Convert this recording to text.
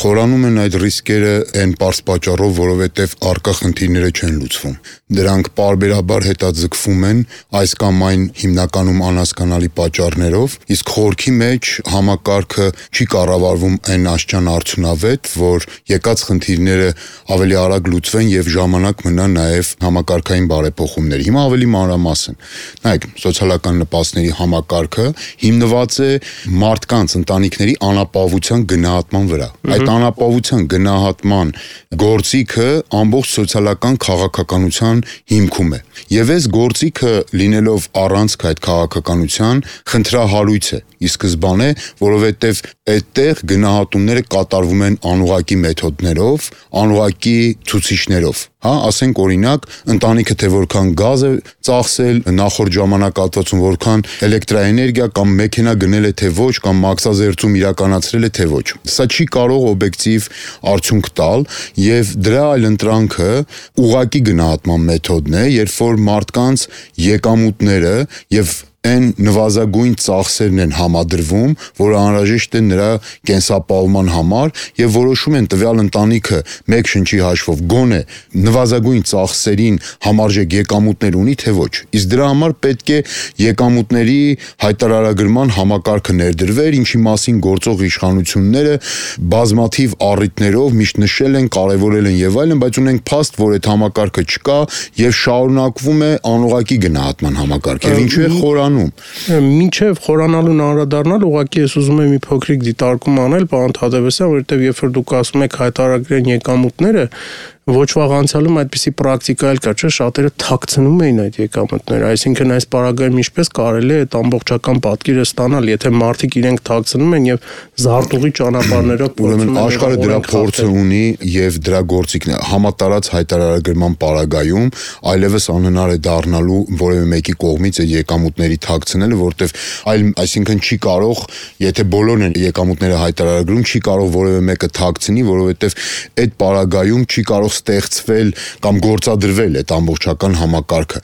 Խորանում են այդ ռիսկերը այն պարզ պատճառով, որովհետև առկա խնդիրները չեն լուծվում։ Դրանք պարբերաբար հետաձգվում են այս կամ այն հիմնականում անհասկանալի պատճառներով, իսկ խորքի մեջ համակարգը չի կառավարվում այն աստիճան արդյունավետ, որ եկած խնդիրները ավելի արագ լուծվեն եւ ժամանակ մնա նաեւ համակարգային բարեփոխումների։ Հիմա ավելի մանրամասն։ Նայեք, սոցիալական նպաստների համակարգը հիմնված է մարդկանց, ընտանիքների անապահովության գնահատման վրա։ Այդ անապահովության գնահատման գործիքը ամբողջ սոցիալական քաղաքականության հիմքում է։ Եվ այս գործիքը լինելով առանցք այդ քաղաքականության խնդրահարույց է։ Ի սկզբանե, որովհետև այդտեղ գնահատումները կատարվում են անուղղակի մեթոդներով, անուղղակի ցուցիչներով։ Ասենք օրինակ, ընտանիքը թե որքան գազ է ծախսել նախորդ ժամանակահատվածում, որքան էլեկտրաէներգիա կամ մեքենա գնել է թե ոչ, կամ մաքսազերծում իրականացրել է թե ոչ։ Սա չի կարող օբյեկտիվ արդյունք տալ, եւ դրա այլընտրանքը ուղղակի գնահատման մեթոդն է, երբ որ մարդկանց եկամուտները եւ այն նվազագույն ծախսերն են համադրվում, որը անհրաժեշտ է նրա կենսապահովման համար եւ որոշում են տվյալ ընտանիքը մեկ շնչի հաշվով գոնե նվազագույն ծախսերին համարժեք եկամուտներ ունի թե ոչ։ Իսկ դրա համար պետք է եկամուտների հայտարարագրման համակարգը ներդրվեր, ինչի մասին գործող իշխանությունները բազմաթիվ առիթներով միշտ նշել են, կարևորել են եւ այլն, բայց ունենք փաստ, որ այդ համակարգը չկա եւ շարունակվում է անուղղակի գնահատման համակարգ։ Եվ ինչու է խորանում։ Մինչև խորանալուն անդրադառնալ, ուղղակի ես ուզում եմ մի փոքրիկ դիտարկում անել, պարոն Թադևոսյան, որովհետև երբ որ դուք ասում եք հայտարարագրեն եկամուտները, ոչ վաղ անցյալում այդպիսի պրակտիկա էլ կա, չէ՞, շատերը թաքցնում էին այդ եկամուտները, այսինքն այս պարագայում ինչպես կարելի է այդ ամբողջական պատկերը ստանալ, եթե մարդիկ իրենք թաքցնում են եւ զարտուղի ճանապարհներով փորձում են։ Աշխարհը դրա փորձը ունի եւ դրա գործիքն է համատարած հայտարարագրման պարագայում, այլևս անհնար է դառնալու որևէ մեկի կողմից այդ եկամուտների թաքցնելը, որտեվ այսինքն չի կարող, եթե բոլորն են եկամուտները հայտարարագրում, չի կարող որևէ մեկը թաքցնի, որովհետեւ այդ պարագայում չի կարող ստեղծվել կամ գործադրվել այդ ամբողջական համակարգը։